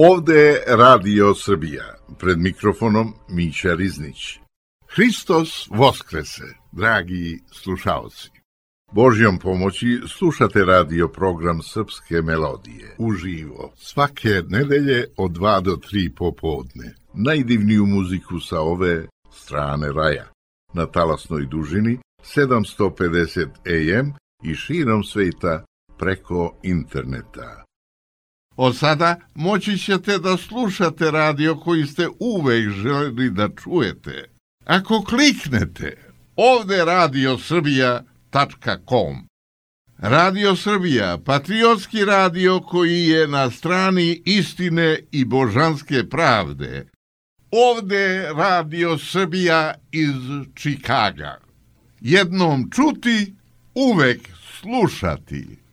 Ovde je Radio Srbija, pred mikrofonom Mića Riznić. Hristos Voskrese, dragi slušalci. Božjom pomoći slušate radio program Srpske melodije, uživo, svake nedelje od 2 do 3 popodne. Najdivniju muziku sa ove strane raja, na talasnoj dužini 750 AM i širom sveta preko interneta. Od sada moći ćete da slušate radio koji ste uvek želeli da čujete. Ako kliknete ovde radiosrbija.com. Radio Srbija, patriotski radio koji je na strani istine i božanske pravde. Ovde Radio Srbija iz Čikaga. Jednom čuti, uvek slušati.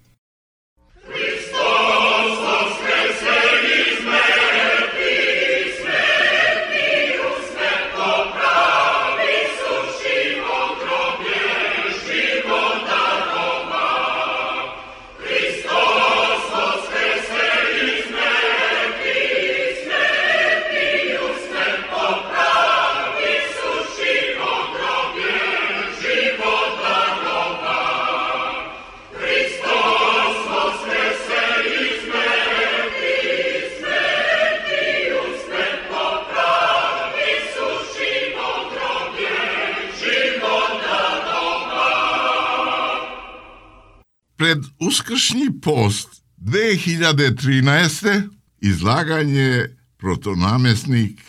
Pred uskršnji post 2013. izlaganje protonamjesnik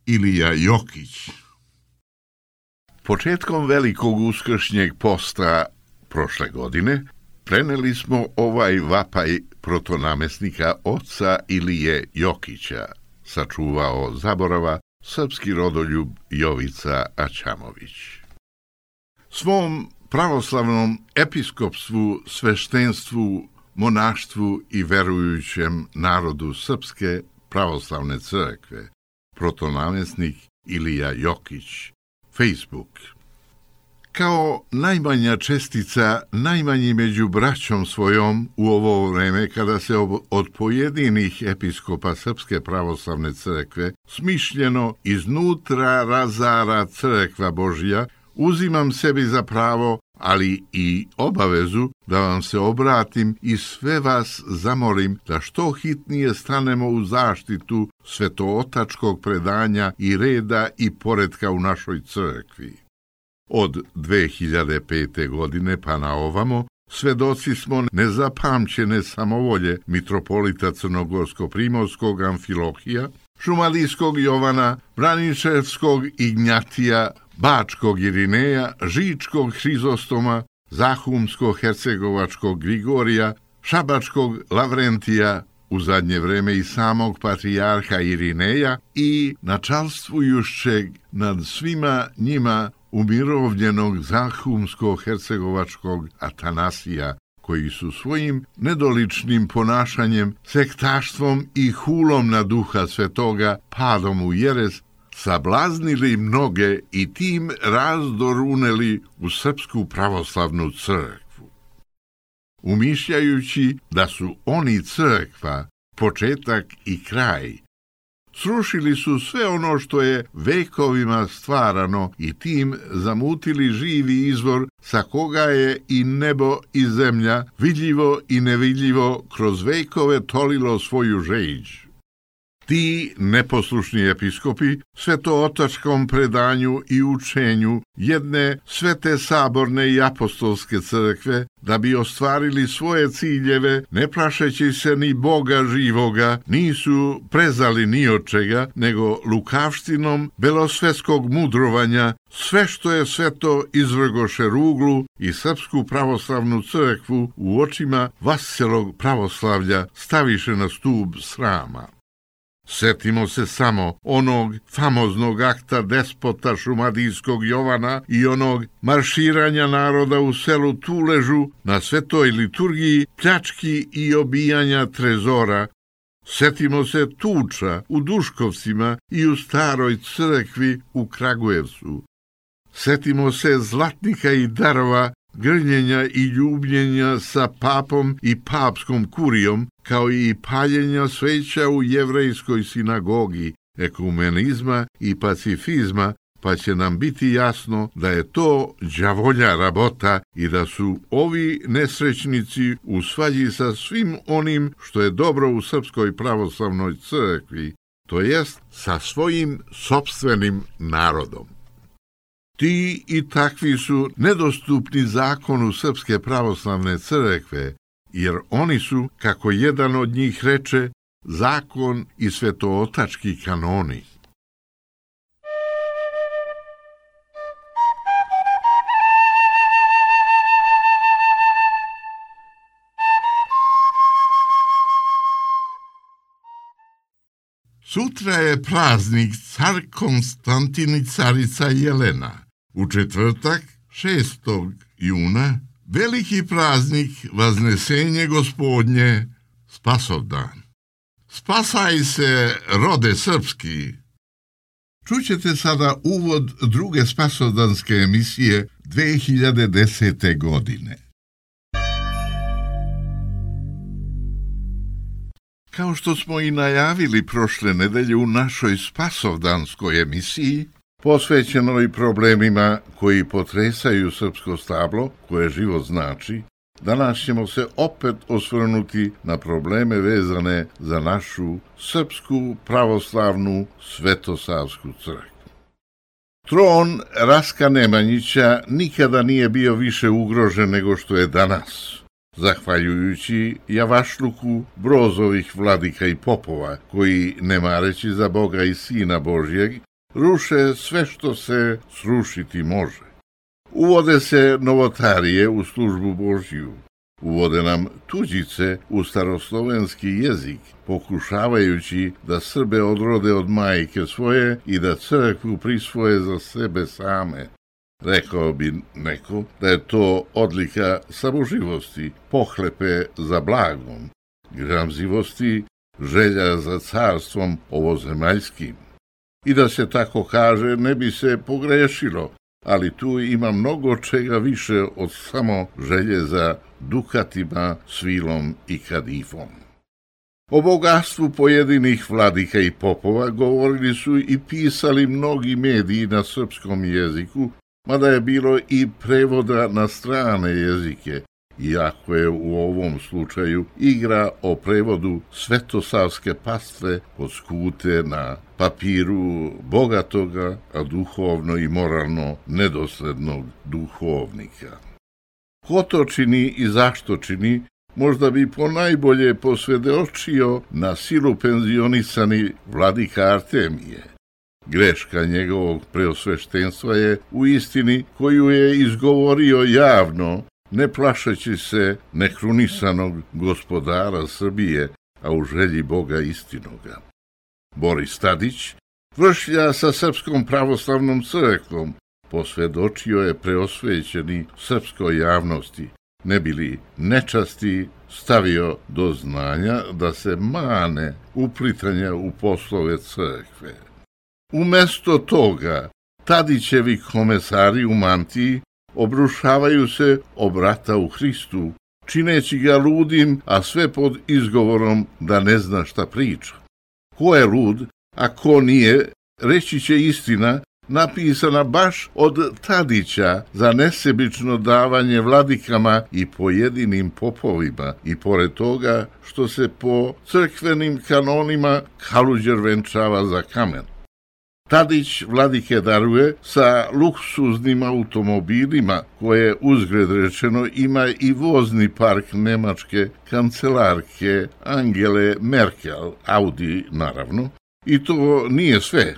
Ilija Jokić. Početkom velikog uskršnjeg posta prošle godine preneli smo ovaj vapaj protonamjesnika oca Ilije Jokića, sačuvao zaborava srpski rodoljub Jovica Aćamović. Svom pravoslavnom episkopstvu, sveštenstvu, monaštvu i verujućem narodu Srpske pravoslavne crkve, protonamjesnik Ilija Jokić, Facebook. Kao najmanja čestica, najmanji među braćom svojom u ovo vreme kada se od pojedinih episkopa Srpske pravoslavne crkve smišljeno iznutra razara crkva Božja, uzimam sebi za pravo, ali i obavezu da vam se obratim i sve vas zamolim da što hitnije stanemo u zaštitu svetootačkog predanja i reda i poretka u našoj crkvi. Od 2005. godine pa na ovamo svedoci smo nezapamćene samovolje mitropolita Crnogorsko-primorskog Amfilohija, Šumadijskog Jovana, Braničevskog Ignjatija, Bačkog Irineja, Žičkog Hrizostoma, Zahumsko-hercegovačkog Grigorija, Šabačkog Lavrentija, u zadnje vreme i samog patrijarha Irineja i načalstvujućeg nad svima njima umirovljenog Zahumsko-hercegovačkog Atanasija, koji su svojim nedoličnim ponašanjem, sektaštvom i hulom na Duha Svetoga, padom u jeres, sablaznili mnoge i tim razdor uneli u Srpsku pravoslavnu crkvu. Umišljajući da su oni crkva, početak i kraj, srušili su sve ono što je vekovima stvarano i tim zamutili živi izvor sa koga je i nebo i zemlja, vidljivo i nevidljivo, kroz vekove tolilo svoju žeđ. Ti neposlušni episkopi svetootačkom predanju i učenju jedne svete saborne i apostolske crkve, da bi ostvarili svoje ciljeve, ne plašeći se ni Boga živoga, nisu prezali ni od čega, nego lukavštinom belosvetskog mudrovanja sve što je sveto izvrgoše ruglu i Srpsku pravoslavnu crkvu u očima vaselog pravoslavlja staviše na stub srama. Setimo se samo onog famoznog akta despota Šumadijskog Jovana i onog marširanja naroda u selu Tuležu na svetoj liturgiji, pljački i obijanja trezora. Setimo se tuča u Duškovcima i u staroj crkvi u Kragujevcu. Setimo se zlatnika i darova grljenja i ljubljenja sa papom i papskom kurijom, kao i paljenja sveća u jevrejskoj sinagogi, ekumenizma i pacifizma, pa će nam biti jasno da je to đavolja rabota i da su ovi nesrećnici u svađi sa svim onim što je dobro u Srpskoj pravoslavnoj crkvi, to jest sa svojim sopstvenim narodom. Ti i takvi su nedostupni zakonu Srpske pravoslavne crkve, jer oni su, kako jedan od njih reče, zakon i svetootački kanoni. Sutra je praznik car Konstantin i carica Jelena. U četvrtak, 6. juna, veliki praznik Vaznesenje Gospodnje, Spasovdan. Spasaj se, rode srpski! Čućete sada uvod druge spasovdanske emisije 2010. godine. Kao što smo i najavili prošle nedelje u našoj spasovdanskoj emisiji, posvećenoj problemima koji potresaju srpsko stablo, koje život znači, danas ćemo se opet osvrnuti na probleme vezane za našu srpsku pravoslavnu svetosavsku crkvu. Tron Raska Nemanjića nikada nije bio više ugrožen nego što je danas, zahvaljujući javašluku Brozovih vladika i popova, koji, ne mareći za Boga i Sina Božjeg, ruše sve što se srušiti može. Uvode se novotarije u službu Božju, uvode nam tuđice u staroslovenski jezik, pokušavajući da Srbe odrode od majke svoje i da crkvu prisvoje za sebe same. Rekao bi neko da je to odlika samoživosti, pohlepe za blagom, gramzivosti, želja za carstvom ovozemaljskim. I da se tako kaže, ne bi se pogrešilo, ali tu ima mnogo čega više od samo želje za dukatima, svilom i kadifom. O bogatstvu pojedinih vladika i popova govorili su i pisali mnogi mediji na srpskom jeziku, mada je bilo i prevoda na strane jezike, iako je u ovom slučaju igra o prevodu svetosavske pastve poskute na papiru bogatoga, a duhovno i moralno nedoslednog duhovnika. Ko to čini i zašto čini, možda bi ponajbolje posvedočio na silu penzionisani vladika Artemije. Greška njegovog preosveštenstva je u istini koju je izgovorio javno, ne plašeći se nekrunisanog gospodara Srbije, a u želji Boga istinoga. Boris Tadić, vršlja sa Srpskom pravoslavnom crkvom, posvedočio je preosvećeni srpskoj javnosti, ne bili nečasti stavio do znanja da se mane uplitanja u poslove crkve. Umesto toga, Tadićevi komesari u mantiji obrušavaju se o brata u Hristu, čineći ga ludim, a sve pod izgovorom da ne zna šta priča. Ko je lud, a ko nije, reći će istina, napisana baš od Tadića za nesebično davanje vladikama i pojedinim popovima, i pored toga što se po crkvenim kanonima Kaluđer venčava za kamen. Tadić vladike daruje sa luksuznim automobilima, koje uzgred rečeno ima i vozni park nemačke kancelarke Angele Merkel, Audi naravno, i to nije sve.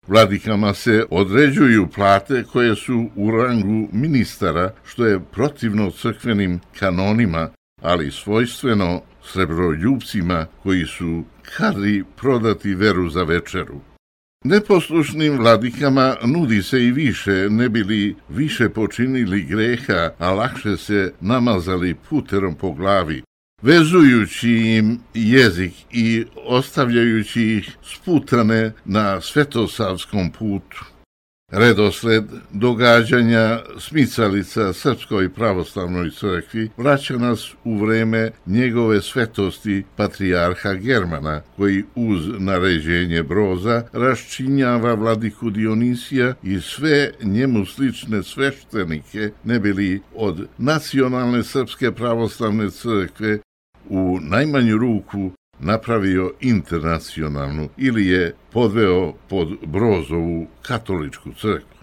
Vladikama se određuju plate koje su u rangu ministara, što je protivno crkvenim kanonima, ali svojstveno srebroljupcima koji su kadri prodati veru za večeru. Neposlušnim vladikama nudi se i više, ne bili više počinili greha, a lakše se namazali puterom po glavi, vezujući im jezik i ostavljajući ih sputane na svetosavskom putu. Redosled događanja smicalica Srpskoj pravoslavnoj crkvi vraća nas u vreme njegove svetosti patrijarha Germana, koji uz naređenje Broza raščinjava vladiku Dionisija i sve njemu slične sveštenike, ne bili od nacionalne Srpske pravoslavne crkve u najmanju ruku napravio internacionalnu ili je podveo pod Brozovu katoličku crkvu.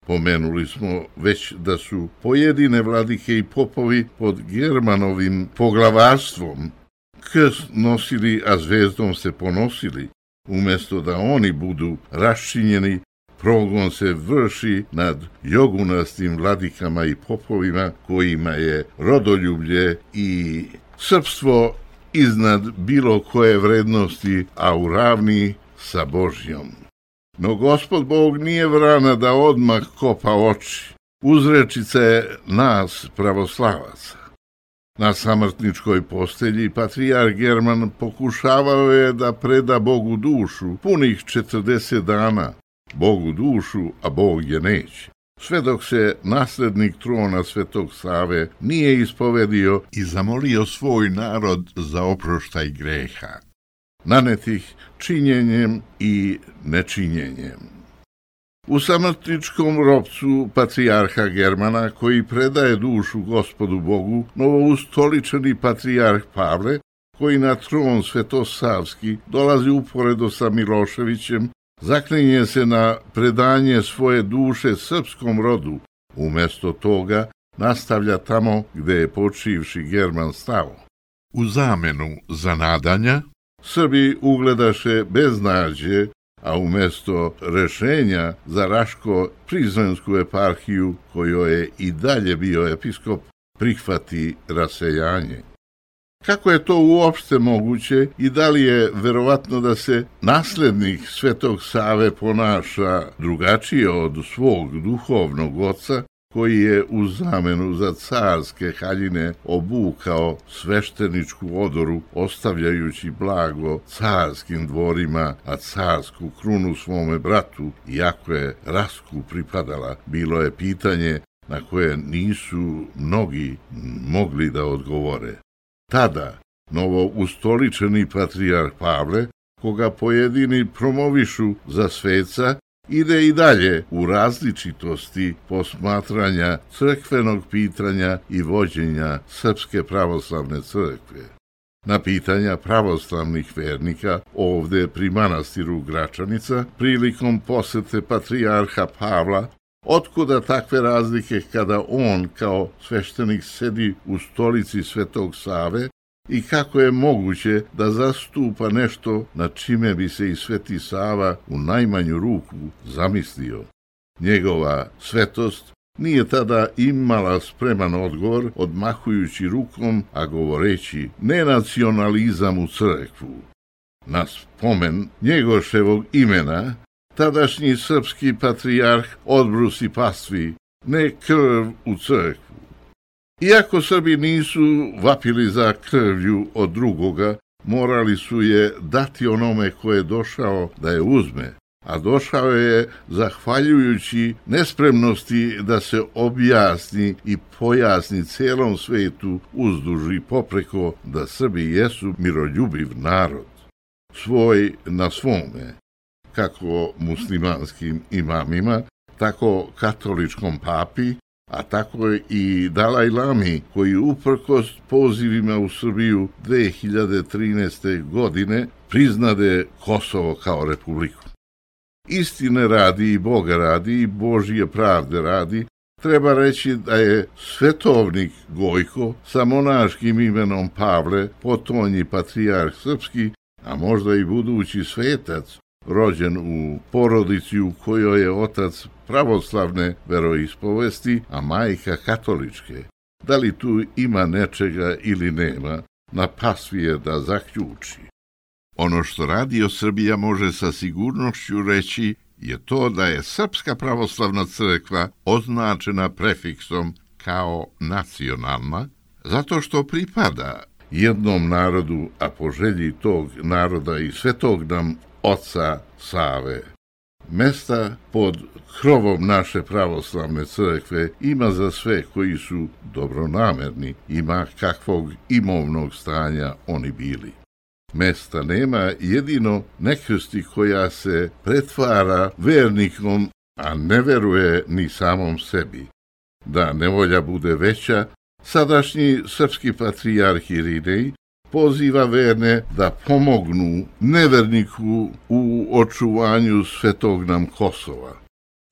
Pomenuli smo već da su pojedine vladike i popovi pod Germanovim poglavarstvom krst nosili, a zvezdom se ponosili. Umjesto da oni budu raščinjeni, progon se vrši nad jogunastim vladikama i popovima kojima je rodoljublje i srpstvo iznad bilo koje vrednosti, a u ravni sa Božjom. No Gospod Bog nije vrana da odmah kopa oči. Uzrečica je nas, pravoslavaca. Na samrtničkoj postelji patrijarh German pokušavao je da preda Bogu dušu punih 40 dana. Bogu dušu, a Bog je neće. Sve dok se naslednik trona Svetog Save nije ispovedio i zamolio svoj narod za oproštaj greha, nanetih činjenjem i nečinjenjem. U samrtničkom ropcu patrijarha Germana, koji predaje dušu Gospodu Bogu, novoustoličeni patrijarh Pavle, koji na tron svetosavski dolazi uporedo sa Miloševićem, zaklinje se na predanje svoje duše srpskom rodu, umjesto toga nastavlja tamo gde je počivši German stao. U zamenu za nadanja, Srbi ugledaše beznađe, a umjesto rešenja za Raško-Prizrensku eparhiju, kojoj je i dalje bio episkop, prihvati rasejanje. Kako je to uopšte moguće i da li je verovatno da se naslednik Svetog Save ponaša drugačije od svog duhovnog oca, koji je u zamenu za carske haljine obukao svešteničku odoru, ostavljajući blago carskim dvorima, a carsku krunu svome bratu, iako je Rasku pripadala, bilo je pitanje na koje nisu mnogi mogli da odgovore. Tada novoustoličeni patrijarh Pavle, koga pojedini promovišu za sveca, ide i dalje u različitosti posmatranja crkvenog pitanja i vođenja Srpske pravoslavne crkve. Na pitanja pravoslavnih vernika ovde pri manastiru Gračanica, prilikom posete patrijarha Pavla, otkuda takve razlike kada on kao sveštenik sedi u stolici Svetog Save i kako je moguće da zastupa nešto na čime bi se i Sveti Sava u najmanju ruku zamislio. Njegova svetost nije tada imala spreman odgovor, odmahujući rukom, a govoreći nenacionalizam u crkvu. Na spomen Njegoševog imena tadašnji srpski patrijarh odbrusi pastvi, ne krv u crkvu. Iako Srbi nisu vapili za krvlju od drugoga, morali su je dati onome ko je došao da je uzme, a došao je zahvaljujući nespremnosti da se objasni i pojasni celom svetu uzduž i popreko da Srbi jesu miroljubiv narod, svoj na svome, kako muslimanskim imamima, tako katoličkom papi, a tako i Dalaj Lami, koji uprkos pozivima u Srbiju 2013. godine priznade Kosovo kao republiku. Istine radi i Boga radi i Božje pravde radi, treba reći da je svetovnik Gojko sa monaškim imenom Pavle, potonji patrijarh srpski, a možda i budući svetac, rođen u porodici u kojoj je otac pravoslavne veroispovesti, a majka katoličke. Da li tu ima nečega ili nema, na pasvi je da zaključi. Ono što Radio Srbija može sa sigurnošću reći je to da je Srpska pravoslavna crkva označena prefiksom kao nacionalna, zato što pripada jednom narodu, a po želji tog naroda i svetog nam Oca Save. Mesta pod krovom naše pravoslavne crkve ima za sve koji su dobronamerni, ima kakvog imovnog stanja oni bili. Mesta nema jedino nekrsti koja se pretvara vernikom, a ne veruje ni samom sebi. Da nevolja bude veća, sadašnji srpski patrijarh Irinej poziva verne da pomognu neverniku u očuvanju svetog nam Kosova.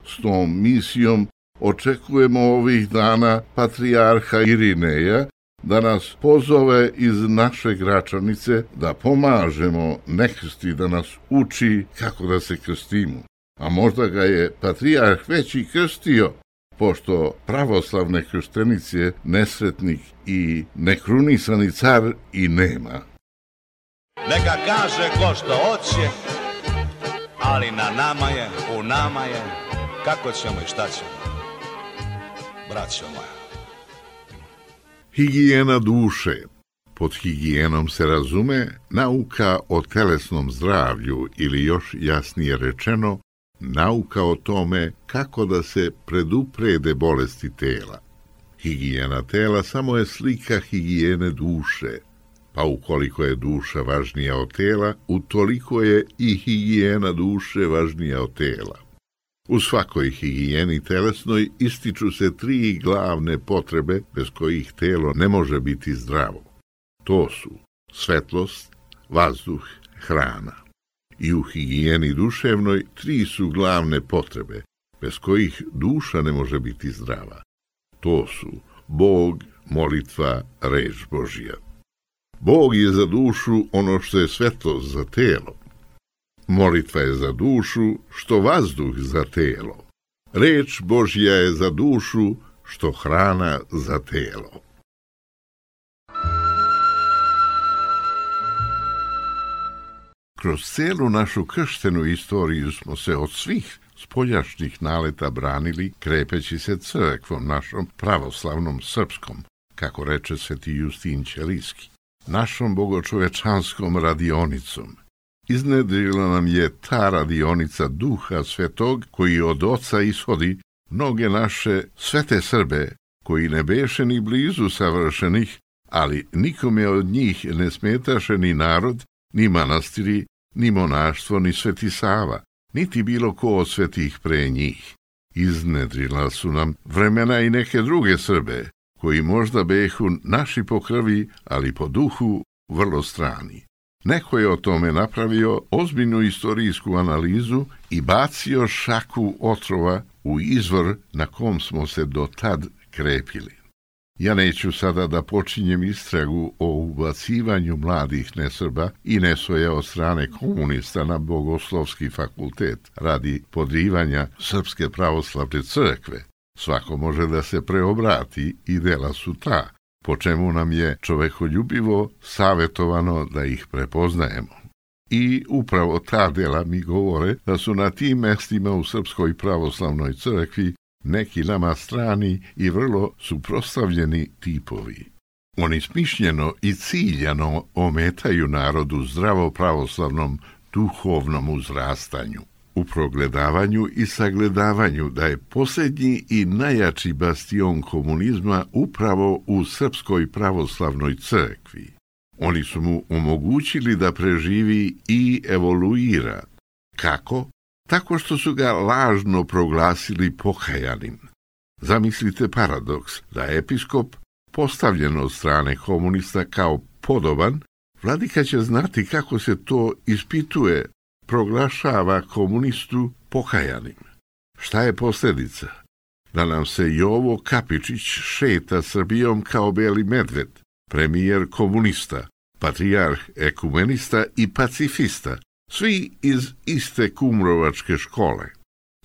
S tom misijom očekujemo ovih dana patrijarha Irineja da nas pozove iz naše Gračanice da pomažemo nekrsti, da nas uči kako da se krstimo. A možda ga je patrijarh već i krstio, pošto pravoslavne krštenice nesretnik i nekrunisani car i nema. Neka kaže ko što hoće, ali na nama je, u nama je, kako ćemo i šta ćemo, braćo moja. Higijena duše. Pod higijenom se razume nauka o telesnom zdravlju ili još jasnije rečeno, nauka o tome kako da se preduprede bolesti tela. Higijena tela samo je slika higijene duše, pa ukoliko je duša važnija od tela, utoliko je i higijena duše važnija od tela. U svakoj higijeni telesnoj ističu se 3 glavne potrebe bez kojih telo ne može biti zdravo. To su svetlost, vazduh, hrana. I u higijeni duševnoj 3 su glavne potrebe bez kojih duša ne može biti zdrava. To su Bog, molitva, reč Božja. Bog je za dušu ono što je svetlost za telo. Molitva je za dušu što vazduh za telo. Reč Božja je za dušu što hrana za telo. Kroz celu našu krštenu istoriju smo se od svih spoljašnjih naleta branili, krepeći se crkvom našom pravoslavnom srpskom, kako reče sveti Justin Ćelijski, našom bogočovečanskom radionicom. Iznedrila nam je ta radionica Duha Svetog, koji od Oca ishodi mnoge naše svete Srbe, koji ne beše ni blizu savršenih, ali nikome od njih ne smetaše ni narod, ni manastiri, ni monaštvo, ni Sveti Sava, niti bilo ko od svetih pre njih. Iznedrila su nam vremena i neke druge Srbe, koji možda behu naši po krvi, ali po duhu vrlo strani. Neko je o tome napravio ozbiljnu istorijsku analizu i bacio šaku otrova u izvor na kom smo se do tad krepili. Ja neću sada da počinjem istragu o ubacivanju mladih nesrba i nesvoja od strane komunista na Bogoslovski fakultet radi podrivanja Srpske pravoslavne crkve. Svako može da se preobrati i dela su ta, po čemu nam je čovekoljubivo savetovano da ih prepoznajemo. I upravo ta dela mi govore da su na tim mestima u Srpskoj pravoslavnoj crkvi neki nama strani i vrlo suprotstavljeni tipovi. Oni smišljeno i ciljano ometaju narodu zdravo pravoslavnom duhovnom uzrastanju, u progledavanju i sagledavanju da je posljednji i najjači bastion komunizma upravo u Srpskoj pravoslavnoj crkvi. Oni su mu omogućili da preživi i evoluira. Kako? Tako što su ga lažno proglasili pokajanim. Zamislite paradoks da je episkop postavljen od strane komunista kao podoban, vladika će znati kako se to ispituje, proglašava komunistu pokajanim. Šta je posljedica? Da nam se Jovo Kapičić šeta Srbijom kao beli medved, premijer komunista, patrijarh ekumenista i pacifista, svi iz iste kumrovačke škole.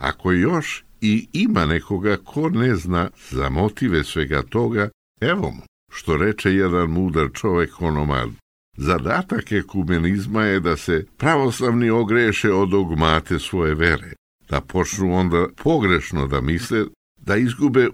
Ako još i ima nekoga ko ne zna za motive svega toga, evo mu, što reče jedan mudar čovek onomad. Zadatak ekumenizma je da se pravoslavni ogreše od dogmate svoje vere, da počnu onda pogrešno da misle, da izgube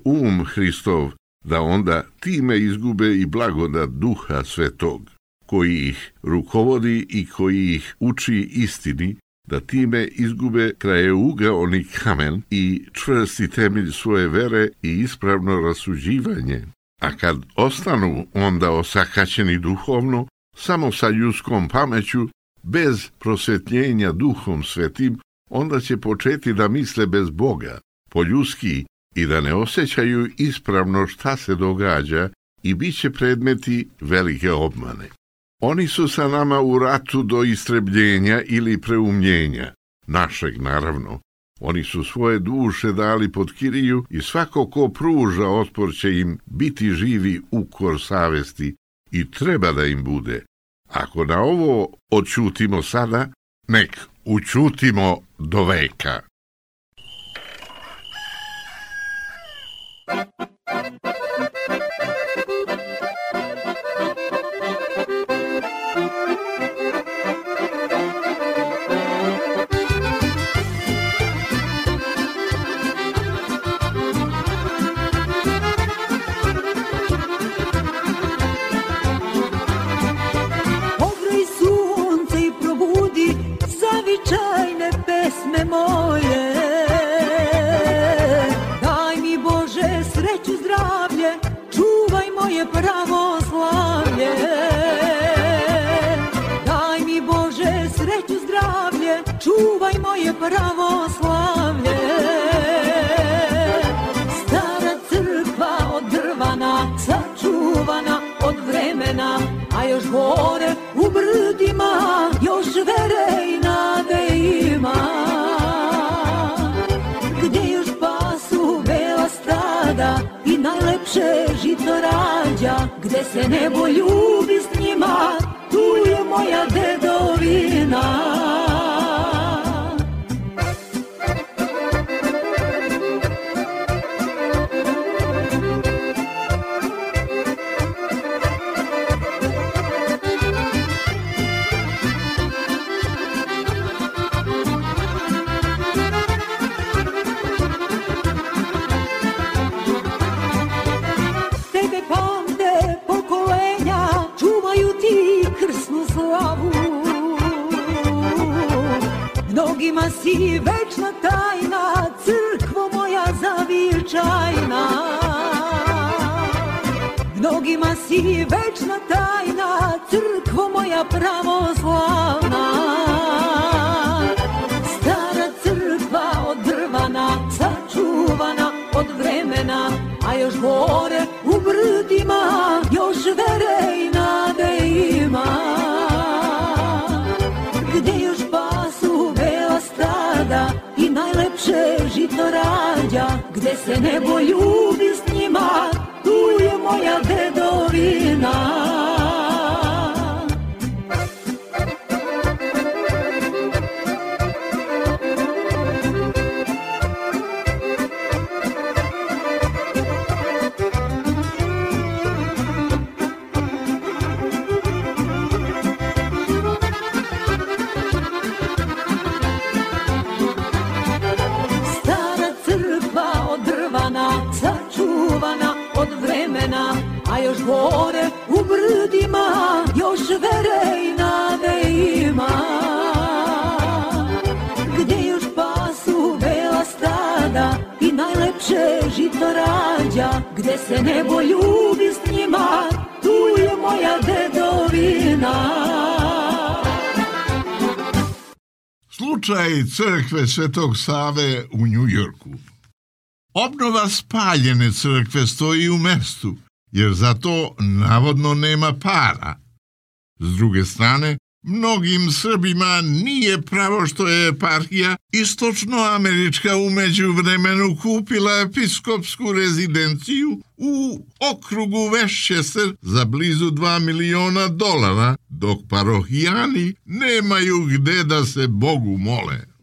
Hristov, da onda time izgube i blagodat Duha Svetog, koji ih rukovodi i koji ih uči istini, da time izgube krajeougaoni kamen i čvrsti temelj svoje vere i ispravno rasuđivanje. A kad ostanu onda osakaćeni duhovno, samo sa ljudskom pameću, bez prosvetljenja Duhom Svetim, onda će početi da misle bez Boga, poljudski, i da ne osjećaju ispravno šta se događa i bit će predmeti velike obmane. Oni su sa nama u ratu do istrebljenja ili preumljenja, našeg naravno. Oni su svoje duše dali pod kiriju i svako ko pruža otpor će im biti živi ukor savesti i treba da im bude. Ako na ovo odćutimo sada, nek učutimo do veka. Zavičajne pesme moje, daj mi Bože sreću, zdravlje, čuvaj moje pravoslavlje. Daj mi Bože sreću, zdravlje, čuvaj moje pravoslavlje. Stara crkva od drvana, sačuvana od vremena, a još gore u brdima, još vere i nade ima. Gdje još pasu bela stada i najlepše žito rađa, gde se nebo ljubi s njima, tu je moja dedovina. Mnogima si večna tajna, crkvo moja zavičajna. Mnogima si večna tajna, crkvo moja pravoslavna. Stara crkva od drvana, sačuvana od vremena, a još gore u brdima, još vere i nade ima. Gdje još pasu bela stada i najlepše žito rađa, gde se nebo ljubi s njima, tu je moja dedovina. A još gore u brdima, još vere i nade ima. Gdje još pasu bela stada i najlepše žito rađa, gde se nebo ljubi s njima, tu je moja dedovina. Slučaj crkve Svetog Save u Njujorku. Obnova spaljene crkve stoji u mestu, jer za to navodno nema para. S druge strane, mnogim Srbima nije pravo što je eparhija istočnoamerička u međuvremenu kupila episkopsku rezidenciju u okrugu Westchester za blizu $2 miliona, dok parohijani nemaju gde da se Bogu mole.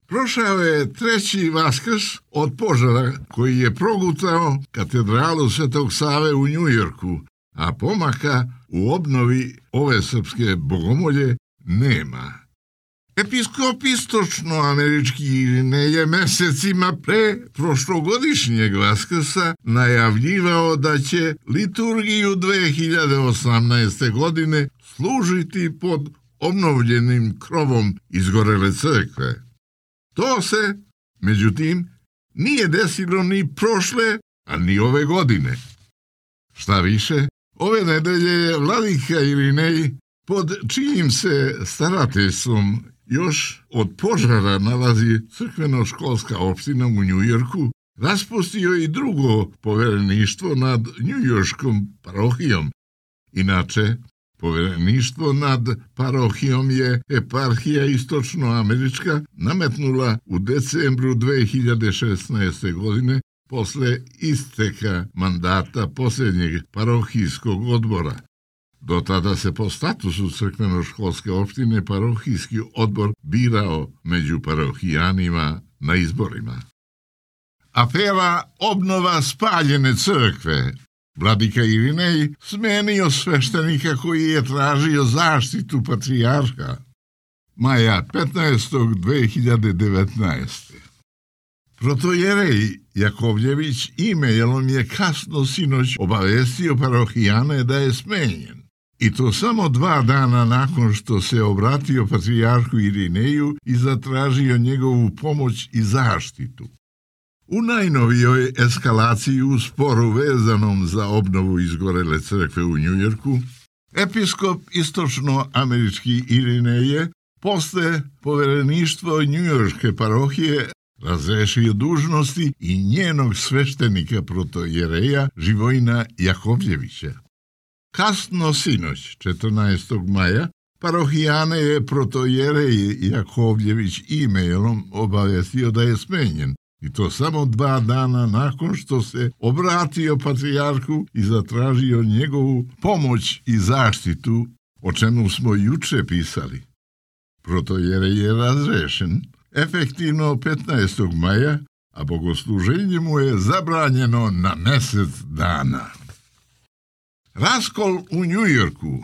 Prošao je treći Vaskrs od požara koji je progutao katedralu Svetog Save u Njujorku, a pomaka u obnovi ove srpske bogomolje nema. Episkop istočnoamerički ne je mesecima pre prošlogodišnjeg Vaskrsa najavljivao da će liturgiju 2018. godine služiti pod obnovljenim krovom izgorele crkve. To se, međutim, nije desilo ni prošle, a ni ove godine. Šta više, ove nedelje je vladika Irinej, pod čijim se starateljstvom još od požara nalazi crkveno-školska opština u Njujorku, raspustio i drugo povereništvo nad njujorškom parohijom. Inače, povereništvo nad parohijom je eparhija istočnoamerička nametnula u decembru 2016. godine posle isteka mandata posljednjeg parohijskog odbora. Do tada se po statusu crkveno-školske opštine parohijski odbor birao među parohijanima na izborima. Afera obnova spaljene crkve. Vladika Irinej smenio sveštenika koji je tražio zaštitu patrijarha. Maja 15. 2019. Protojerej Jakovljević e-mailom je kasno sinoć obavestio parohijane da je smenjen. I to samo 2 dana nakon što se obratio patrijarhu Irineju i zatražio njegovu pomoć i zaštitu. U najnovijoj eskalaciji u sporu vezanom za obnovu izgorele crkve u Njujorku, episkop istočnoamerički Irineje posle povereništva njujorške parohije razrešio dužnosti i njenog sveštenika protojereja Živojina Jakovljevića. Kasno sinoć, 14. maja, parohijane je protojerej Jakovljević e-mailom obavestio da je smenjen, i to samo 2 dana nakon što se obratio patrijarhu i zatražio njegovu pomoć i zaštitu, o čemu smo juče pisali. Protojerej je razrešen efektivno 15. maja, a bogosluženje mu je zabranjeno na mjesec dana. Raskol u Njujorku.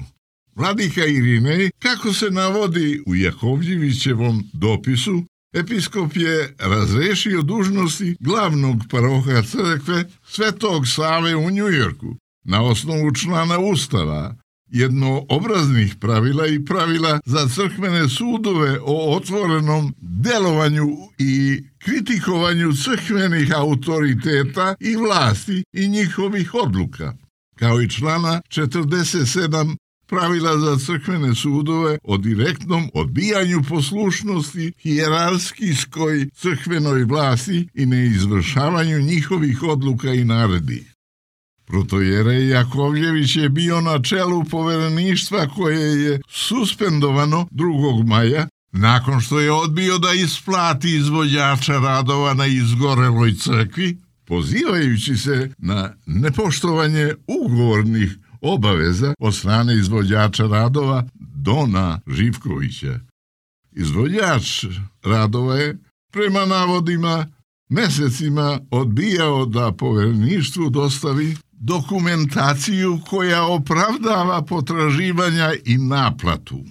Vladika Irinej, kako se navodi u Jakovljevićevom dopisu, episkop je razrešio dužnosti glavnog paroha crkve Svetog Save u Njujorku na osnovu člana Ustava, jednoobraznih pravila i pravila za crkvene sudove o otvorenom delovanju i kritikovanju crkvenih autoriteta i vlasti i njihovih odluka, kao i člana 47 pravila za crkvene sudove o direktnom odbijanju poslušnosti hijerarhijskoj crkvenoj vlasti i neizvršavanju njihovih odluka i naredbi. Protojerej Jakovljević je bio na čelu povereništva koje je suspendovano 2. maja nakon što je odbio da isplati izvođača radova na izgoreloj crkvi, pozivajući se na nepoštovanje ugovornih obaveza od strane izvođača radova Dona Živkovića. Izvođač radova je, prema navodima, mesecima odbijao da povereništvu dostavi dokumentaciju koja opravdava potraživanja i naplatu.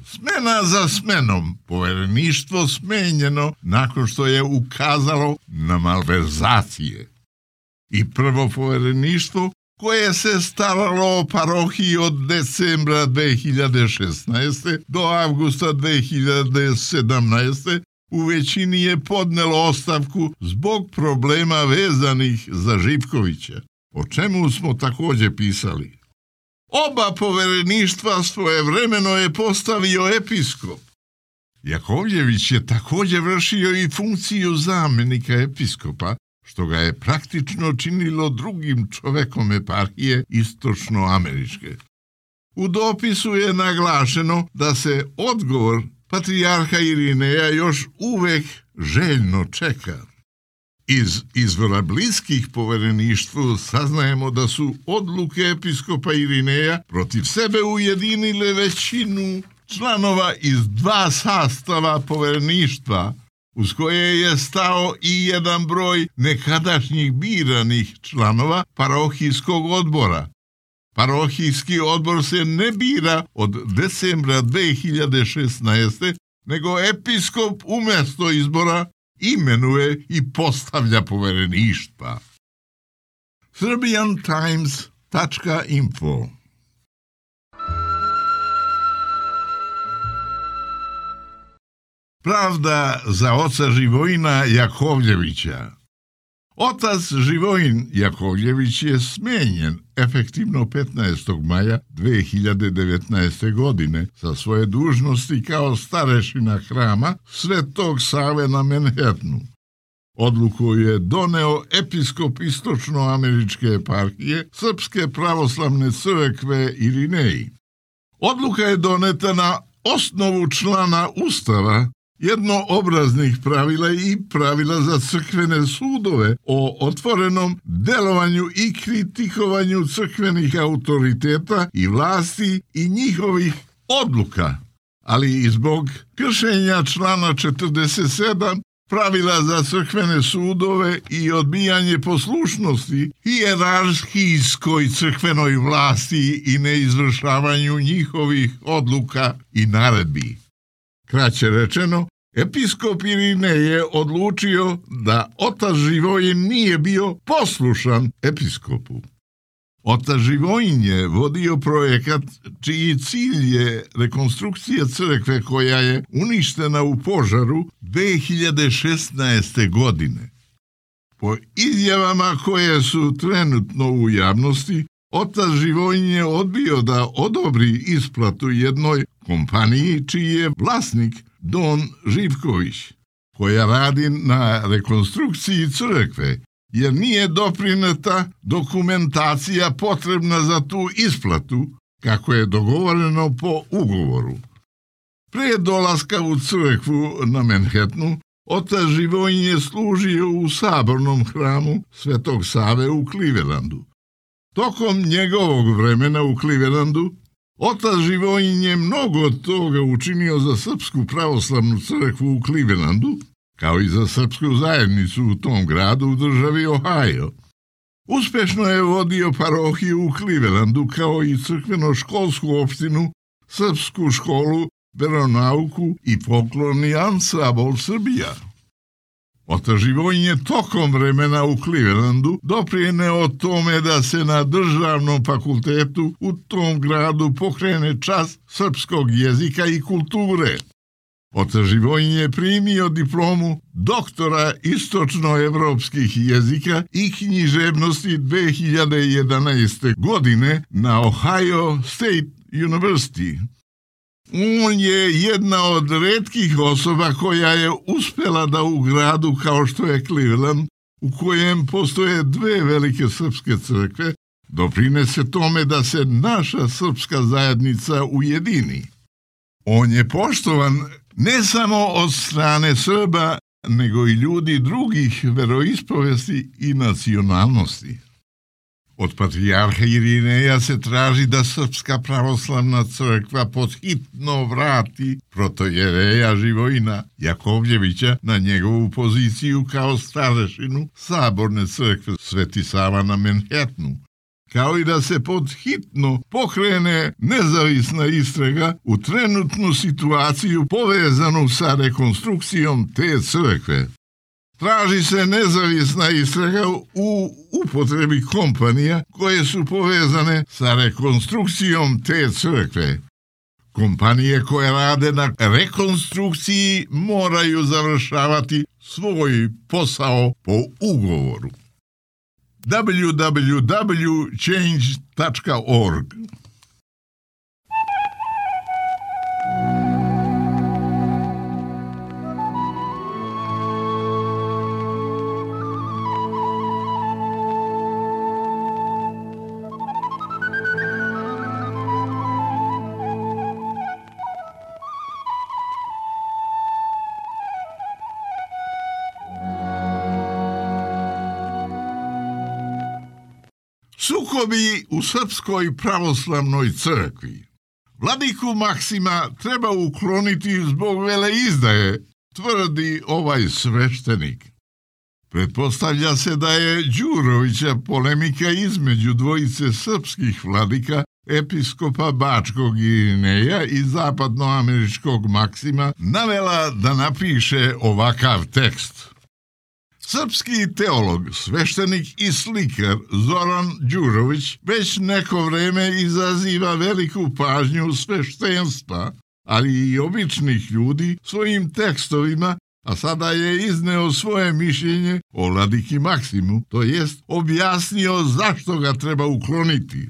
Smena za smenom, povereništvo smenjeno nakon što je ukazalo na malverzacije. I prvo povereništvo, koje se staralo o parohiji od decembra 2016. do avgusta 2017. u većini je podnelo ostavku zbog problema vezanih za Živkovića, o čemu smo također pisali. Oba povereništva svojevremeno je postavio episkop. Jakovljević je također vršio i funkciju zamjenika episkopa, što ga je praktično činilo drugim čovekom eparhije istočnoameričke. U dopisu je naglašeno da se odgovor patrijarha Irineja još uvek željno čeka. Iz izvora bliskih povereništvu saznajemo da su odluke episkopa Irineja protiv sebe ujedinile većinu članova iz 2 sastava povereništva, uz koje je stao i jedan broj nekadašnjih biranih članova parohijskog odbora. Parohijski odbor se ne bira od decembra 2016. nego episkop umjesto izbora imenuje i postavlja povereništva. SerbianTimes.info Pravda za oca Živojina Jakovljevića. Otac Živojin Jakovljević je smenjen efektivno 15. maja 2019. godine sa svoje dužnosti kao starešina hrama Svetog Save na Manhattanu. Odluku je doneo episkop istočnoameričke eparhije Srpske pravoslavne crkve Irineji. Odluka je doneta na osnovu člana Ustava, jednoobraznih pravila i pravila za crkvene sudove o otvorenom delovanju i kritikovanju crkvenih autoriteta i vlasti i njihovih odluka, ali i zbog kršenja člana 47 pravila za crkvene sudove i odbijanje poslušnosti hijerarhijskoj crkvenoj vlasti i neizvršavanju njihovih odluka i naredbi. Kraće rečeno, episkop Irinej je odlučio da otac Živojin nije bio poslušan episkopu. Otac Živojin je vodio projekat čiji cilj je rekonstrukcija crkve koja je uništena u požaru 2016. godine. Po izjavama koje su trenutno u javnosti, otac Živojin je odbio da odobri isplatu jednoj kompaniji čiji je vlasnik Don Živković, koja radi na rekonstrukciji crkve, jer nije doprineta dokumentacija potrebna za tu isplatu, kako je dogovoreno po ugovoru. Pre dolaska u crkvu na Manhattanu, otac Živojin je služio u sabornom hramu Svetog Save u Clevelandu. Tokom njegovog vremena u Clevelandu, otac Živojin je mnogo toga učinio za Srpsku pravoslavnu crkvu u Clevelandu, kao i za srpsku zajednicu u tom gradu u državi Ohio. Uspešno je vodio parohiju u Clevelandu, kao i crkveno-školsku opštinu, srpsku školu, veronauku i folklorni ansambl Srbija. Otac Živojin je tokom vremena u Clevelandu doprineo tome da se na državnom fakultetu u tom gradu pokrene čas srpskog jezika i kulture. Otac Živojin je primio diplomu doktora istočnoevropskih jezika i književnosti 2011. godine na Ohio State University. On je jedna od retkih osoba koja je uspela da u gradu kao što je Cleveland, u kojem postoje dve velike srpske crkve, doprinese tome da se naša srpska zajednica ujedini. On je poštovan ne samo od strane Srba, nego i ljudi drugih veroispovesti i nacionalnosti. Od patrijarha Irineja se traži da Srpska pravoslavna crkva podhitno vrati protojereja Živojina Jakovljevića na njegovu poziciju kao starešinu saborne crkve Sveti Sava na Manhattanu, kao i da se podhitno pokrene nezavisna istraga u trenutnu situaciju povezanu sa rekonstrukcijom te crkve. Traži se nezavisna istraga u upotrebi kompanija koje su povezane sa rekonstrukcijom te crkve. Kompanije koje rade na rekonstrukciji moraju završavati svoj posao po ugovoru. www.change.org Sukobi u Srpskoj pravoslavnoj crkvi. Vladiku Maksima treba ukloniti zbog veleizdaje, tvrdi ovaj sveštenik. Pretpostavlja se da je Đurovića polemika između dvojice srpskih vladika, episkopa Bačkog Irineja i zapadnoameričkog Maksima, navela da napiše ovakav tekst. Srpski teolog, sveštenik i slikar Zoran Đurović već neko vreme izaziva veliku pažnju sveštenstva ali i običnih ljudi svojim tekstovima, a sada je izneo svoje mišljenje o vladiki Maksimu, to jest objasnio zašto ga treba ukloniti.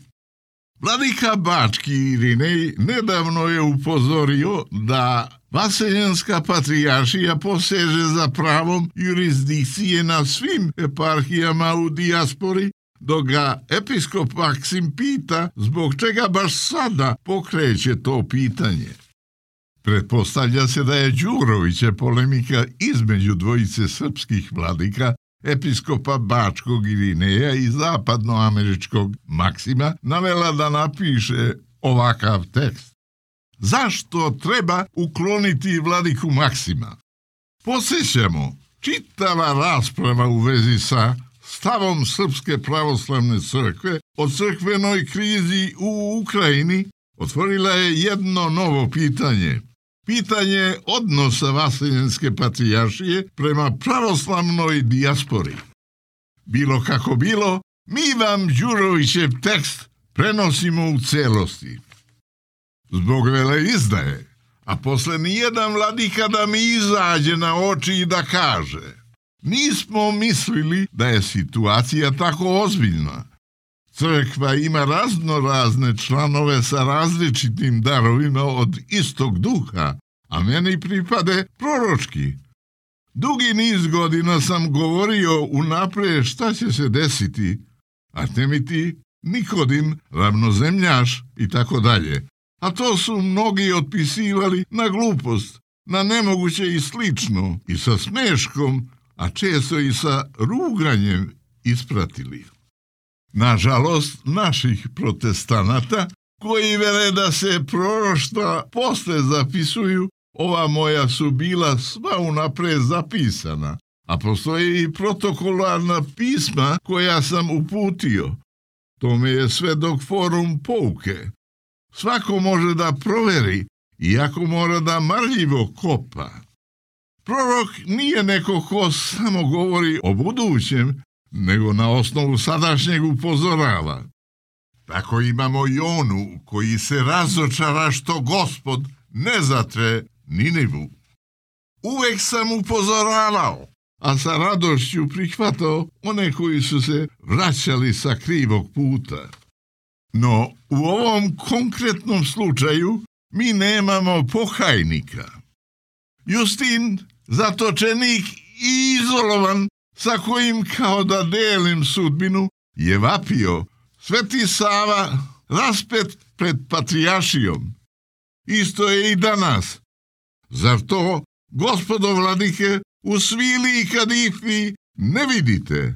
Vladika Bački Irinej nedavno je upozorio da Vaseljenska patrijaršija poseže za pravom jurisdikcije na svim eparhijama u dijaspori, dok ga episkop Maksim pita zbog čega baš sada pokreće to pitanje. Pretpostavlja se da je Đurovića polemika između dvojice srpskih vladika, episkopa Bačkog Irineja i zapadnoameričkog Maksima, navela da napiše ovakav tekst. Zašto treba ukloniti vladiku Maksima? Podsjećamo, čitava rasprava u vezi sa stavom Srpske pravoslavne crkve o crkvenoj krizi u Ukrajini otvorila je jedno novo pitanje. Pitanje odnosa Vaseljenske patrijaršije prema pravoslavnoj dijaspori. Bilo kako bilo, mi vam Đurovićev tekst prenosimo u celosti. Zbog veleizdaje, a posle nijedan vladika da mi izađe na oči i da kaže: nismo mislili da je situacija tako ozbiljna. Crkva ima raznorazne članove sa različitim darovima od istog duha, a meni pripade proročki. Dugi niz godina sam govorio unaprijed šta će se desiti, Artemiti, Nikodim, ravnozemljaš i tako dalje. A to su mnogi otpisivali na glupost, na nemoguće i slično, i sa smeškom, a često i sa ruganjem ispratili. Nažalost, naših protestanata, koji vele da se proroštva posle zapisuju, ova moja su bila sva unapred zapisana, a postoje i protokolarna pisma koja sam uputio. To me je svedok forum pouke. Svako može da proveri, iako mora da marljivo kopa. Prorok nije neko ko samo govori o budućem, nego na osnovu sadašnjeg upozorava. Tako imamo i onu koji se razočara što Gospod ne zatre Ninivu. Uvek sam upozoravao, a sa radošću prihvatao one koji su se vraćali sa krivog puta. No, u ovom konkretnom slučaju mi nemamo pokajnika. Justin, zatočenik i izolovan, sa kojim kao da delim sudbinu, je vapio: Sveti Sava raspet pred patrijaršijom. Isto je i danas. Zar to, gospodo vladike, u svili i kadifi ne vidite?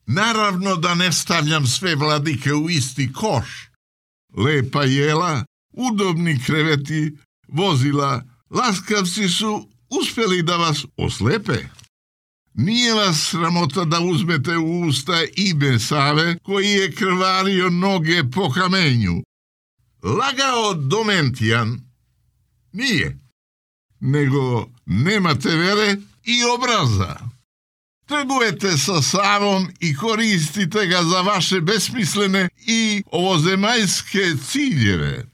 Naravno da ne stavljam sve vladike u isti koš. Lepa jela, udobni kreveti, vozila, laskavci su uspjeli da vas oslepe. Nije vas sramota da uzmete u usta ime Save, koji je krvario noge po kamenju. Lagao Domentijan? Nije. Nego nemate vere i obraza. Trgujete sa Savom i koristite ga za vaše besmislene i ovozemaljske ciljeve.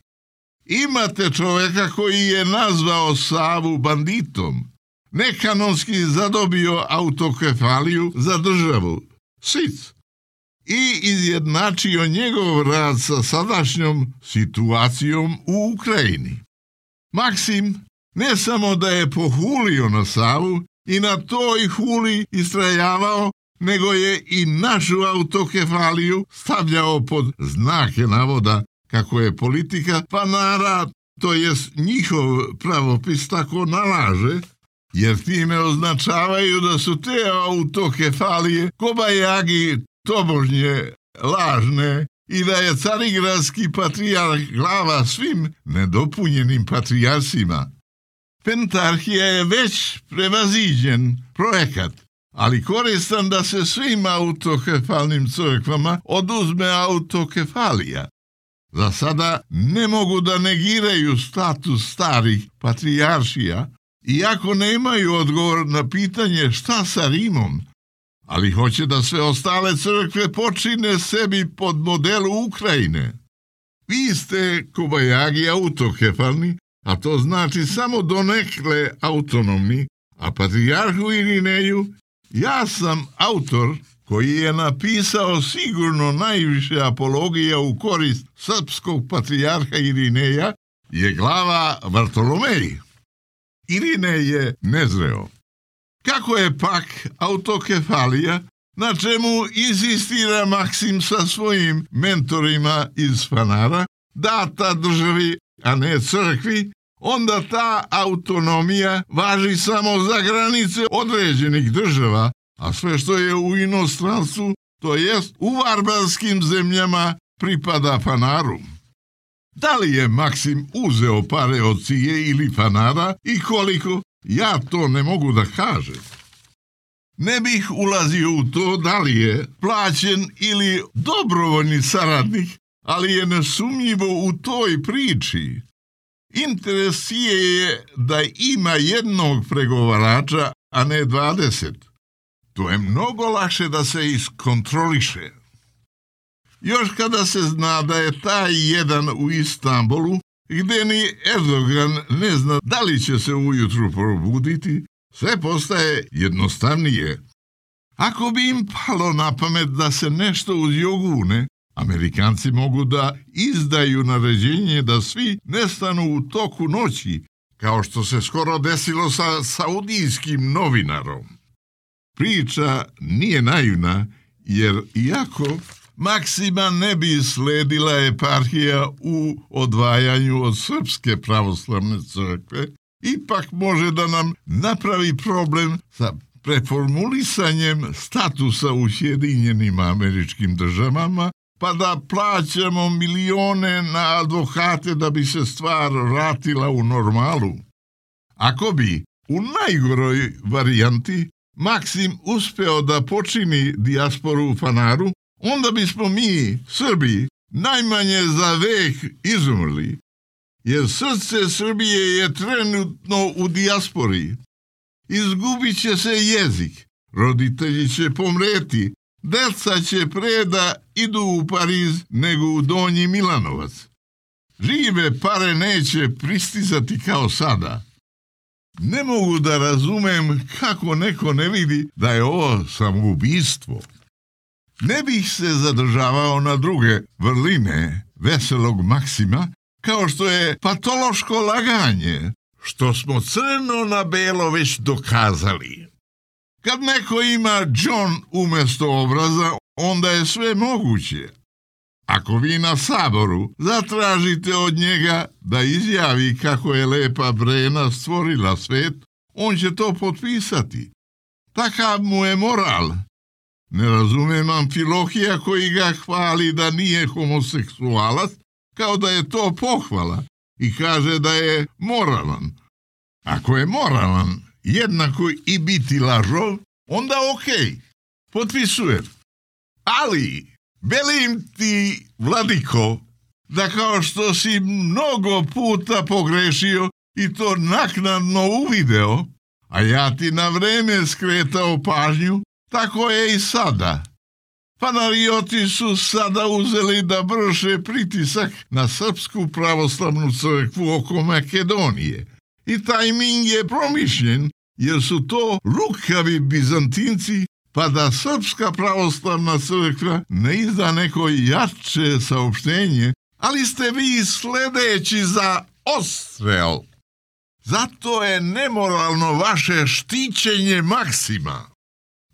Imate čoveka koji je nazvao Savu banditom, nekanonski zadobio autokefaliju za državu, SIC, i izjednačio njegov rad sa sadašnjom situacijom u Ukrajini. Maksim ne samo da je pohulio na Savu i na toj huli istrajavao, nego je i našu autokefaliju stavljao pod znake navoda kako je politika panara, to jest njihov pravopis, tako nalaže, jer time označavaju da su te autokefalije kobajagi tobožnje lažne i da je carigradski patrijarh glava svim nedopunjenim patrijarsima. Pentarhija je već prevaziđen projekat, ali koristan da se svim autokefalnim crkvama oduzme autokefalija. Za sada ne mogu da negiraju status starih patrijaršija, iako nemaju odgovor na pitanje šta sa Rimom, ali hoće da sve ostale crkve počine sebi pod modelu Ukrajine. Vi ste kobajagi autokefalni, a to znači samo donekle autonomni, a patrijarhu Irineju, ja sam autor koji je napisao sigurno najviše apologija u korist srpskog patrijarha Irineja, je glava Vartolomej. Irinej je nezreo. Kako je pak autokefalija, na čemu insistira Maksim sa svojim mentorima iz Fanara, data državi, a ne crkvi, onda ta autonomija važi samo za granice određenih država, a sve što je u inostranstvu, to jest u varbarskim zemljama, pripada Fanaru. Da li je Maksim uzeo pare od Cije ili Fanara i koliko, ja to ne mogu da kažem. Ne bih ulazio u to da li je plaćen ili dobrovoljni saradnik, ali je nesumnjivo u toj priči. Interes Cije je da ima jednog pregovarača, a ne 20. To je mnogo lakše da se iskontroliše. Još kada se zna da je taj jedan u Istanbulu, gdje ni Erdogan ne zna da li će se ujutru probuditi, sve postaje jednostavnije. Ako bi im palo na pamet da se nešto uzjogune, Amerikanci mogu da izdaju naređenje da svi nestanu u toku noći, kao što se skoro desilo sa saudijskim novinarom. Priča nije naivna, jer iako Maksima ne bi sledila eparhija u odvajanju od Srpske pravoslavne crkve, ipak može da nam napravi problem sa preformulisanjem statusa u Sjedinjenim Američkim Državama, pa da plaćamo milione na advokate da bi se stvar vratila u normalu. Ako bi, u najgoroj varijanti, Maksim uspeo da počini dijasporu u Fanaru, onda bismo mi, Srbi, najmanje za vek izumrli, jer srce Srbije je trenutno u dijaspori. Izgubit će se jezik, roditelji će pomreti, deca će pre da idu u Pariz nego u Donji Milanovac. Žive pare neće pristizati kao sada. Ne mogu da razumem kako neko ne vidi da je ovo samoubistvo. Ne bih se zadržavao na druge vrline veselog Maksima, kao što je patološko laganje, što smo crno na belo već dokazali. Kad neko ima John umjesto obraza, onda je sve moguće. Ako vi na saboru zatražite od njega da izjavi kako je lepa Brena stvorila svet, on će to potpisati. Takav mu je moral. Ne razumem Amfilohija koji ga hvali da nije homoseksualac, kao da je to pohvala i kaže da je moralan. Ako je moralan, jednako i biti lažov, onda okej, potpisujem. Ali, velim ti, vladiko, da kao što si mnogo puta pogrešio i to naknadno uvideo, a ja ti na vreme skretao pažnju, tako je i sada. Fanarioti su sada uzeli da vrše pritisak na Srpsku pravoslavnu crkvu oko Makedonije. I tajming je promišljen, jer su to lukavi Bizantinci, pa da Srpska pravoslavna crkva ne izda neko jače saopštenje, ali ste vi sledeći za odstrel. Zato je nemoralno vaše štićenje Maksima.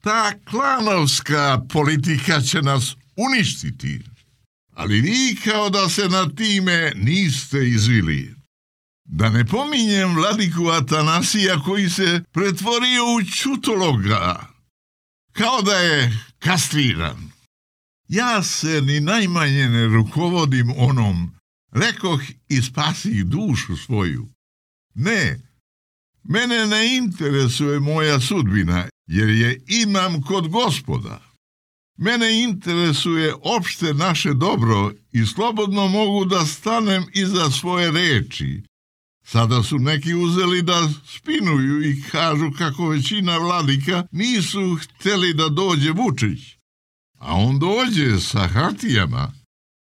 Ta klanovska politika će nas uništiti, ali vi kao da se na time niste izvili. Da ne pominjem vladiku Atanasija koji se pretvorio u ćutologa, kao da je kastriran. Ja se ni najmanje ne rukovodim onom, rekoh i spasih dušu svoju. Ne, mene ne interesuje moja sudbina, jer je imam kod Gospoda. Mene interesuje opšte naše dobro i slobodno mogu da stanem iza svoje reči. Sada su neki uzeli da spinuju i kažu kako većina vladika nisu hteli da dođe Vučić. A on dođe sa hartijama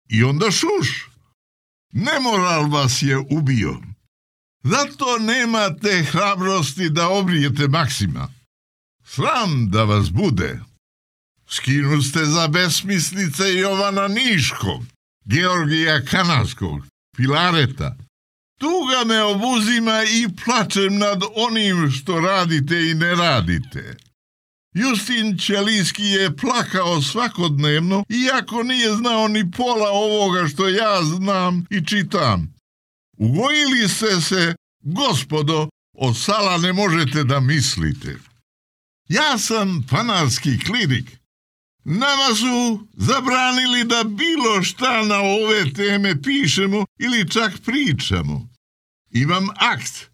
i onda šuš. Nemoral vas je ubio. Zato nemate hrabrosti da obrijete Maksima. Sram da vas bude. Skinu ste za besmislice Jovana Niškog, Georgija Kanarskog, Filareta. Tuga me obuzima i plačem nad onim što radite i ne radite. Justin Ćelijski je plakao svakodnevno, iako nije znao ni pola ovoga što ja znam i čitam. Ugojili ste se, gospodo, od sala ne možete da mislite. Ja sam panarski klirik. Nama su zabranili da bilo šta na ove teme pišemo ili čak pričamo. Imam akt.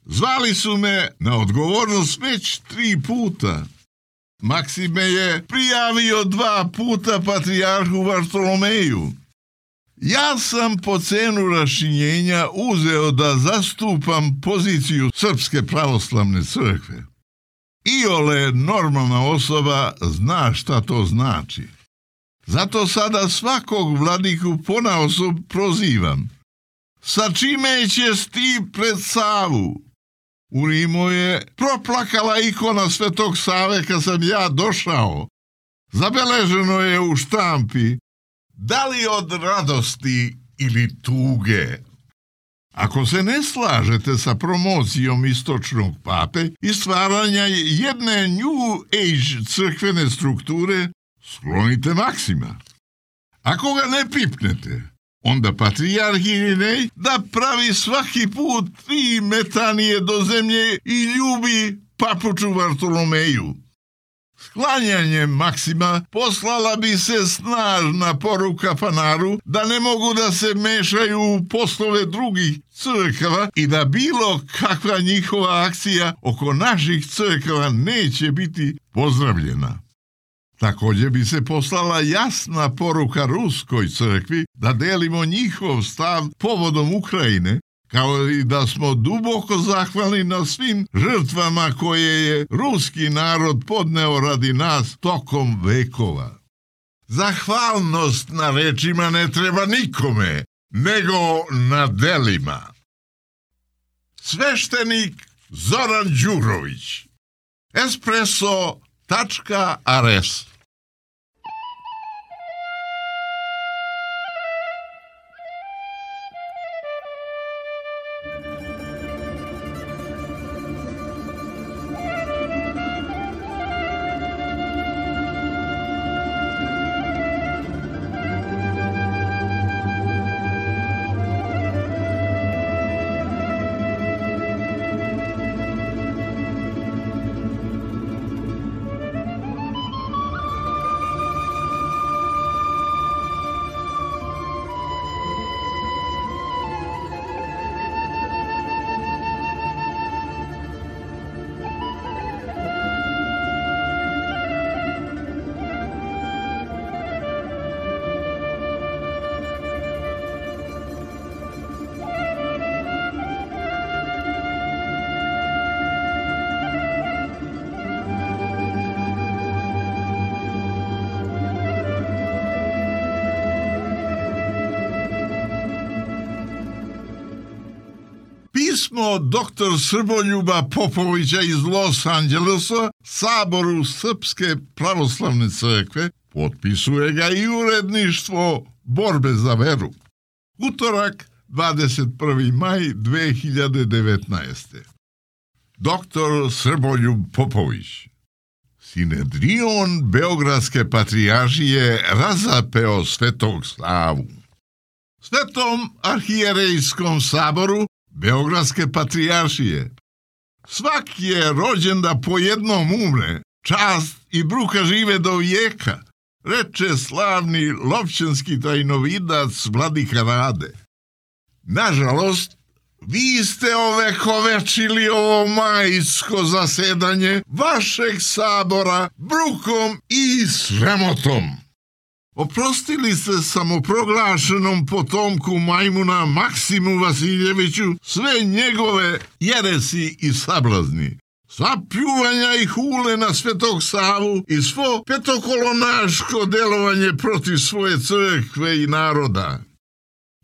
Zvali su me na odgovornost već 3 puta. Maksime je prijavio 2 puta patrijarhu Vartolomeju. Ja sam po cenu rašinjenja uzeo da zastupam poziciju Srpske pravoslavne crkve. Iole normalna osoba zna šta to znači. Zato sada svakog vladiku ponaosob prozivam. Sa čime ćeš ti pred Savu? U Rimu je proplakala ikona Svetog Save kad sam ja došao. Zabeleženo je u štampi. Da li od radosti ili tuge? Ako se ne slažete sa promocijom istočnog pape i stvaranja jedne New Age crkvene strukture, sklonite Maksima. Ako ga ne pipnete, onda patrijarh Irinej da pravi svaki put 3 metanije do zemlje i ljubi papuču Vartolomeju. Sklanjanjem Maksima poslala bi se snažna poruka Panaru da ne mogu da se mešaju u poslove drugih crkava i da bilo kakva njihova akcija oko naših crkava neće biti pozdravljena. Također bi se poslala jasna poruka Ruskoj crkvi da delimo njihov stav povodom Ukrajine, kao i da smo duboko zahvalni na svim žrtvama koje je ruski narod podneo radi nas tokom vekova. Zahvalnost na rečima ne treba nikome, nego na delima. Sveštenik Zoran Đurović. Espresso.rs Pismo dr. Srboljuba Popovića iz Los Angelesa Saboru Srpske pravoslavne crkve, potpisuje ga i uredništvo Borbe za veru. Utorak, 21. maj 2019. Dr. Srboljub Popović. Sinedrion Beogradske patrijaršije razapeo Svetog Savu. Svetom arhijerejskom saboru Beogradske patrijaršije. Svak je rođen da po jednom umre, čast i bruka žive do vijeka, reče slavni lovčanski tajnovidac vladika Rade. Nažalost, vi ste ovekovečili ovo majsko zasedanje vašeg sabora brukom i sramotom. Oprostili ste samoproglašenom potomku majmuna Maksimu Vasiljeviću sve njegove jeresi i sablazni, sva pljuvanja i hule na Svetog Savu i svo petokolonaško delovanje protiv svoje crkve i naroda.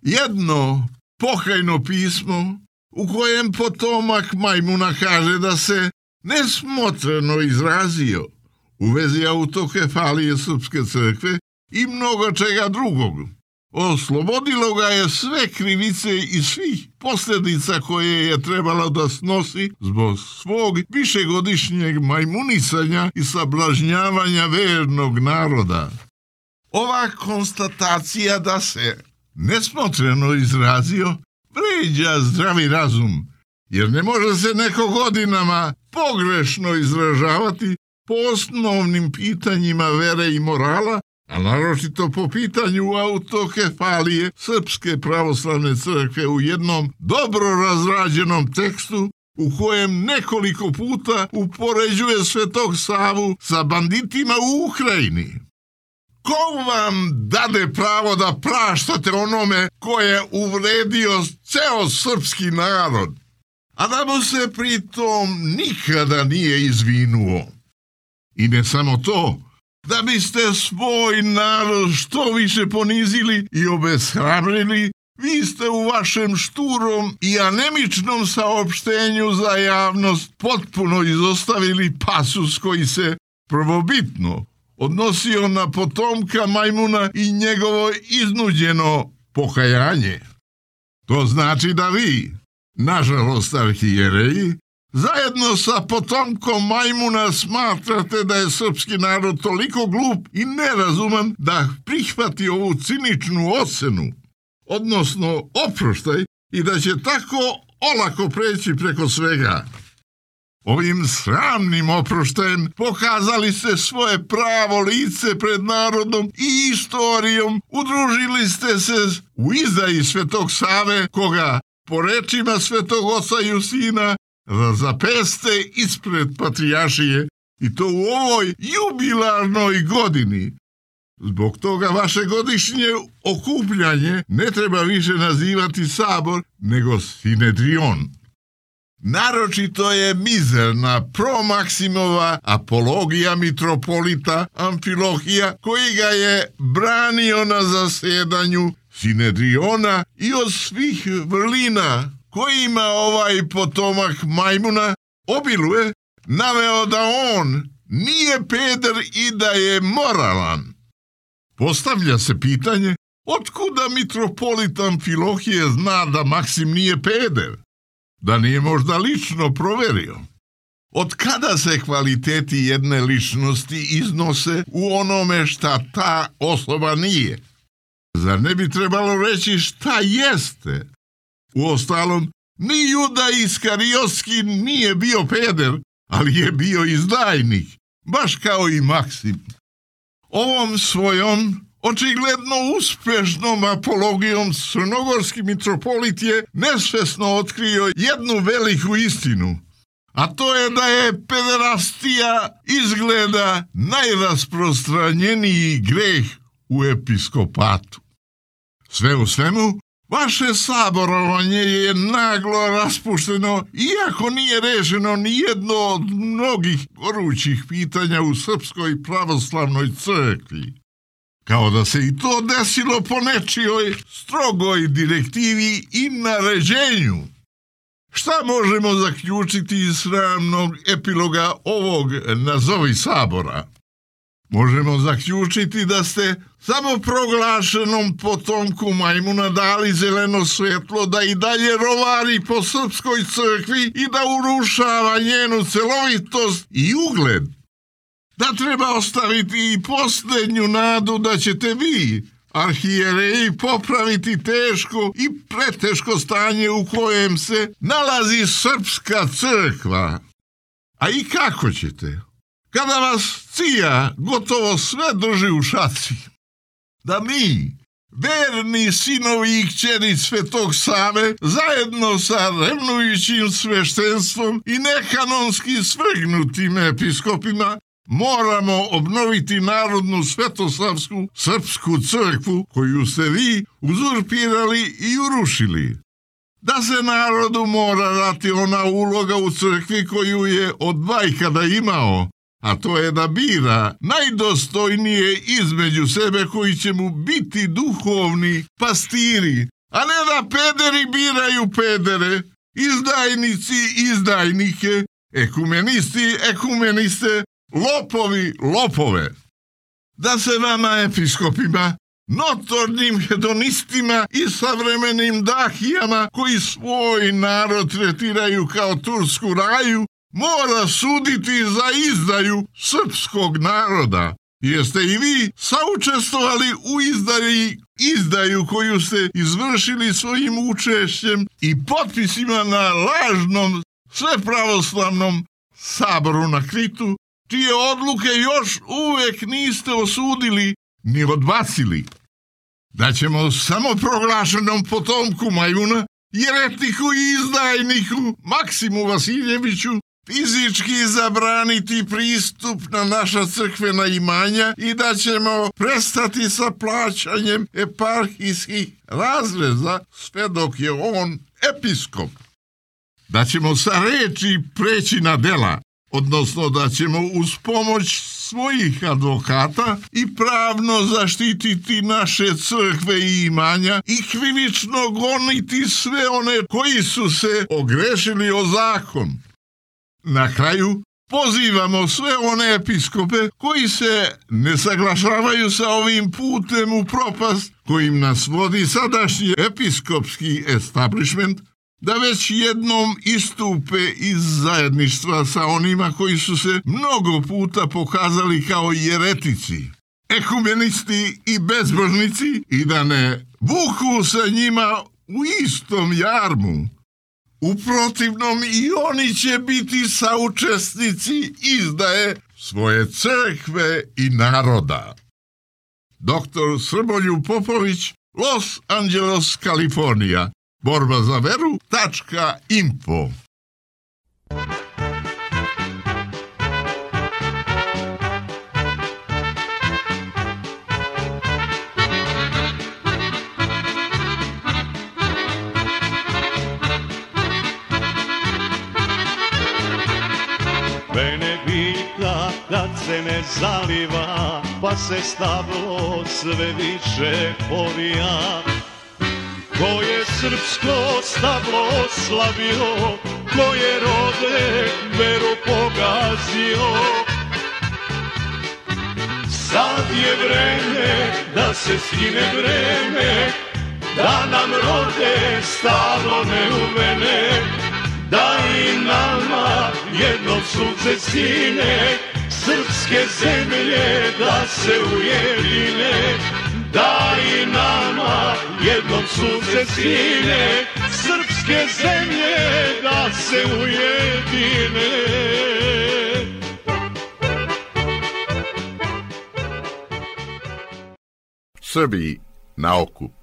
Jedno pokajno pismo u kojem potomak majmuna kaže da se nesmotreno izrazio u vezi autokefalije Srpske crkve i mnogo čega drugog. Oslobodilo ga je sve krivice i svih posljedica koje je trebalo da snosi zbog svog višegodišnjeg majmunisanja i sablažnjavanja vernog naroda. Ova konstatacija da se nesmotreno izrazio vređa zdravi razum, jer ne može se neko godinama pogrešno izražavati po osnovnim pitanjima vere i morala, a naročito po pitanju autokefalije Srpske pravoslavne crkve u jednom dobro razrađenom tekstu u kojem nekoliko puta upoređuje Svetog Savu sa banditima u Ukrajini. Ko vam dade pravo da praštate onome ko je uvredio ceo srpski narod, a da mu se pritom nikada nije izvinuo? I ne samo to, da biste svoj narod što više ponizili i obeshrabrili, vi ste u vašem šturom i anemičnom saopštenju za javnost potpuno izostavili pasus koji se prvobitno odnosio na potomka majmuna i njegovo iznuđeno pokajanje. To znači da vi, nažalost arhijereji, zajedno sa potomkom majmuna smatrate da je srpski narod toliko glup i nerazuman da prihvati ovu ciničnu ocenu, odnosno oproštaj, i da će tako olako preći preko svega. Ovim sramnim oproštajem pokazali ste svoje pravo lice pred narodom i istorijom, udružili ste se u izdaji Svetog Save, koga, po rečima Svetog oca Justina, zapeste ispred patrijaršije, i to u ovoj jubilarnoj godini. Zbog toga vaše godišnje okupljanje ne treba više nazivati sabor, nego sinedrion. Naročito je mizerna promaksimova apologija mitropolita Amfilohija, koji ga je branio na zasedanju sinedriona i od svih vrlina kojima ovaj potomak majmuna obiluje, naveo da on nije peder i da je moralan. Postavlja se pitanje, otkuda mitropolit Amfilohije zna da Maksim nije peder? Da nije možda lično proverio? Od kada se kvaliteti jedne ličnosti iznose u onome šta ta osoba nije? Zar ne bi trebalo reći šta jeste? Uostalom, ni Juda Iskariotski nije bio peder, ali je bio izdajnik, baš kao i Maksim. Ovom svojom očigledno uspešnom apologijom crnogorski mitropolit je nesvesno otkrio jednu veliku istinu, a to je da je pederastija izgleda najrasprostranjeniji greh u episkopatu. Sve u svemu, vaše saborovanje je naglo raspušteno, iako nije rešeno ni jedno od mnogih gorućih pitanja u Srpskoj pravoslavnoj crkvi. Kao da se i to desilo po nečijoj strogoj direktivi i naređenju. Šta možemo zaključiti iz sramnog epiloga ovog nazovi sabora? Možemo zaključiti da ste samoproglašenom potomku majmuna dali zeleno svetlo da i dalje rovari po Srpskoj crkvi i da urušava njenu celovitost i ugled. Da treba ostaviti i posljednju nadu da ćete vi, arhijereji, popraviti teško i preteško stanje u kojem se nalazi Srpska crkva. A i kako ćete? Kada vas cija gotovo sve drži u šaci. Da mi, verni sinovi i kćeri Svetog Save, zajedno sa revnujućim sveštenstvom i nekanonski svrgnutim episkopima, moramo obnoviti narodnu svetosavsku srpsku crkvu koju ste vi uzurpirali i urušili. Da se narodu mora dati ona uloga u crkvi koju je od vajkada imao, a to je da bira najdostojnije između sebe koji će mu biti duhovni pastiri, a ne da pederi biraju pedere, izdajnici, izdajnike, ekumenisti, ekumeniste, lopovi, lopove. Da se vama episkopima, notornim hedonistima i savremenim dahijama koji svoj narod tretiraju kao tursku raju, mora suditi za izdaju srpskog naroda. Jeste i vi saučestvovali u izdaju koju ste izvršili svojim učešćem i potpisima na lažnom svepravoslavnom saboru na Kritu, čije odluke još uvek niste osudili ni odbacili. Da ćemo samoproglašenom potomku Majuna, jeretiku i izdajniku Maksimu Vasiljeviću fizički zabraniti pristup na naša crkvena imanja i da ćemo prestati sa plaćanjem eparhijskih razreza sve dok je on episkop. Da ćemo sa reči preći na dela, odnosno da ćemo uz pomoć svojih advokata i pravno zaštititi naše crkve i imanja i krivično goniti sve one koji su se ogrešili o zakon. Na kraju pozivamo sve one episkope koji se ne saglašavaju sa ovim putem u propast kojim nas vodi sadašnji episkopski establishment, da već jednom istupe iz zajedništva sa onima koji su se mnogo puta pokazali kao jeretici, ekumenisti i bezbožnici i da ne vuku sa njima u istom jarmu. U protivnom i oni će biti saučesnici izdaje svoje crkve i naroda. Dr. Srboljub Popović, Los Angeles, Kalifornija. Borba za veru.info. Mene pita kad se ne zaliva, pa se stablo sve više povija. Ko je srpsko stablo oslavio, ko je rode veru pogazio. Sad je vreme da se skine vreme, da nam rode stablo neumene, da i nama jednom sunce sine, srpske zemlje da se ujedine. Da i nama jednom sunce sine, srpske zemlje da se ujedine. Srbiji na okup.